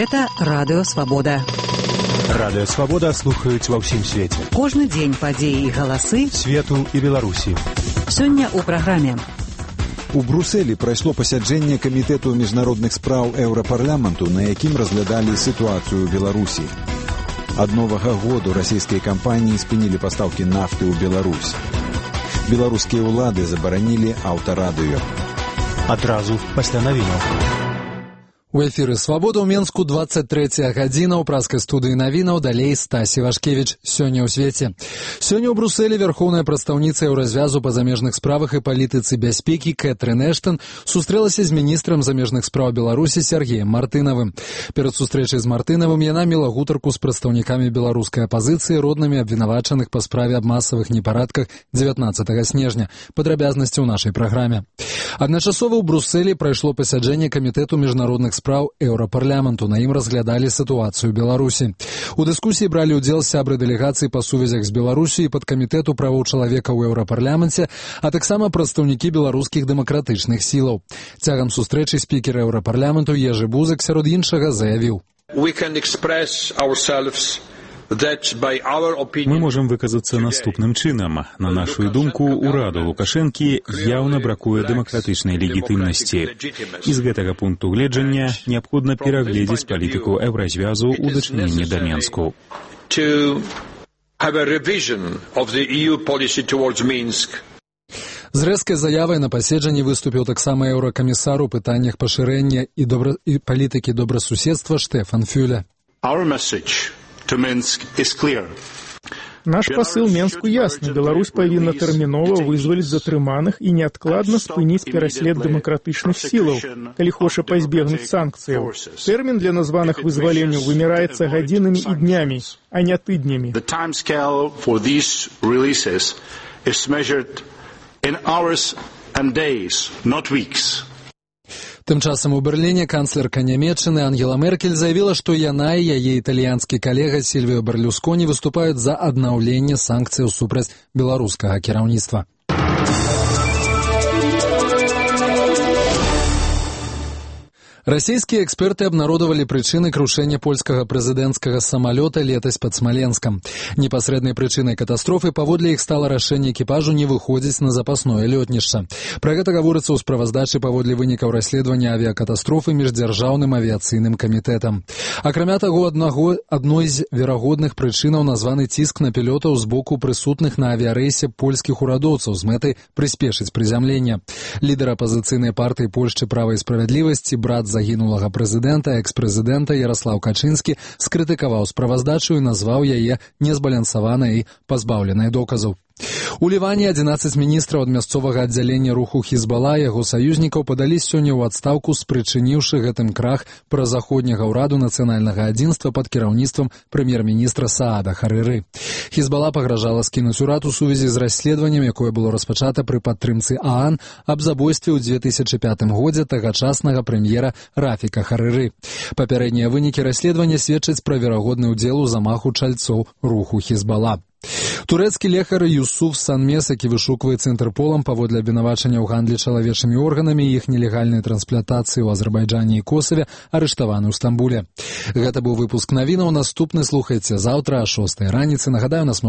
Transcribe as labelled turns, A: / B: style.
A: Гэта Радыё Свабода.
B: Радыё Свабода слухаюць ва ўсім свеце.
A: Кожны дзень падзеі і галасы
B: свету і Беларусі.
A: Сёння ў праграме.
C: У Брусэлі прайшло пасяджэнне камітэту міжнародных спраў Еўрапарламенту, на якім разглядалі сітуацыю ў Беларусі. Ад новага году расійскія кампаніі спынілі пастаўкі нафты ў Беларусь. Беларускія ўлады забаранілі аўтарадыё.
B: Адразу пасля навінаў.
D: У эфіры «Свабода» ў Менску 23 гадзіна. У праскай студыі навінаў далей Стасі Вашкевіч. Сёння ў свеце. Сёння ў Брусэлі вярхоўная прадстаўніца Еўразвязу па замежных справах і палітыцы бяспекі Кэтрын Эштан сустрэлася з міністрам замежных спраў Беларусі Сергеем Мартынавым. Перад сустрэчай з Мартынавым яна мела гутарку з прадстаўнікамі беларускай апазіцыі, роднымі абвінавачаных па справе аб масавых непарадках 19 снежня. Падрабязнасці ў нашай праграме. Адначасова ў Брусэлі прайшло пасяджэнне камітэту міжнародных спраў Еўрапарламенту. На ім разглядалі сітуацыю Беларусі. У дыскусіі бралі ўдзел сябры дэлегацыі па сувязях з Беларусю і падкамітэту правоў чалавека ў Еўрапарламенце, а таксама прадстаўнікі беларускіх дэмакратычных сілаў. Цягам сустрэчы спікер Еўрапарламенту Ежы Бузак сярод іншага заявіў:
E: Мы можам выказацца наступным чынам. На нашу думку, ураду Лукашэнкі яўна бракуе дэмакратычнай легітымнасці. І з гэтага пункту гледжання неабходна перагледзець палітыку Еўразвязу ў дачыненні да Менску.
D: З рэзкай заявай на паседжанні выступіў таксама еўракамісар у пытаннях пашырэння і палітыкі добрасуседства Штефан Фюле.
F: Наш пасыл Менску ясны. Беларусь павінна тэрмінова вызваліць затрыманых і неадкладна спыніць пераслед дэмакратычных сілаў, калі хоча пазбегнуць санкцыяў. Тэрмін для названых вызваленняў вымяраецца гадзінамі і днямі, а не тыднямі.
D: Тым часам у Берліне канцлерка Нямецчыны Ангела Меркель заявіла, што яна і яе італьянскі калега Сільвіо Берлюсконі выступаюць за аднаўленне санкцыяў супраць беларускага кіраўніцтва. Расійскія эксперты абнародавалі прычыны крушэння польскага прэзідэнцкага самалёта летась пад Смаленскам. Непасрэднай прычынай катастрофы паводле іх стала рашэнне экіпажу не выходзіць на запасное лётнішча. Пра гэта гаворыцца ў справаздачы паводле вынікаў расследавання авіякатастрофы міждзяржаўным авіяцыйным камітэтам. Акрамя таго, адной з верагодных прычынаў названы ціск на пілотаў з боку прысутных на авіярэйсе польскіх урадоўцаў з мэтай прыспешыць прызямлення. Лідар апазіцыйнай партыі Польшчы «Права і справядлівасці», брат загінулага прэзідэнта, экс-прэзідэнта Яраслаў Качынскі скрытыкаваў справаздачу і назваў яе незбалансаванай і пазбаўленай доказаў. У Ліване 11 міністраў ад мясцовага аддзялення руху Хізбала і яго саюзнікаў падалі сёння ў адстаўку, спрычыніўшы гэтым крах празаходняга ўраду нацыянальнага адзінства пад кіраўніцтвам прэм'ер-міністра Саада Харыры. Хізбала пагражала скінуць урад у сувязі з расследаваннем, якое было распачата пры падтрымцы ААН аб забойстве ў 2005 годзе тагачаснага прэм'ера Рафіка Харыры. Папярэднія вынікі расследавання сведчаць пра верагодны ўдзел у замаху чальцоў руху Хізбала. Турэцкі лекар Юсуф Санмес, які вышукваецца Інтэрполам паводле абвінавачання ў гандлі чалавечымі органамі і іх нелегальнай трансплантацыі ў Азербайджане і Косаве, арыштаваны ў Стамбуле. Гэта быў выпуск навінаў. Наступны слухайце заўтра о 6 раніцы. Нагадаю, нас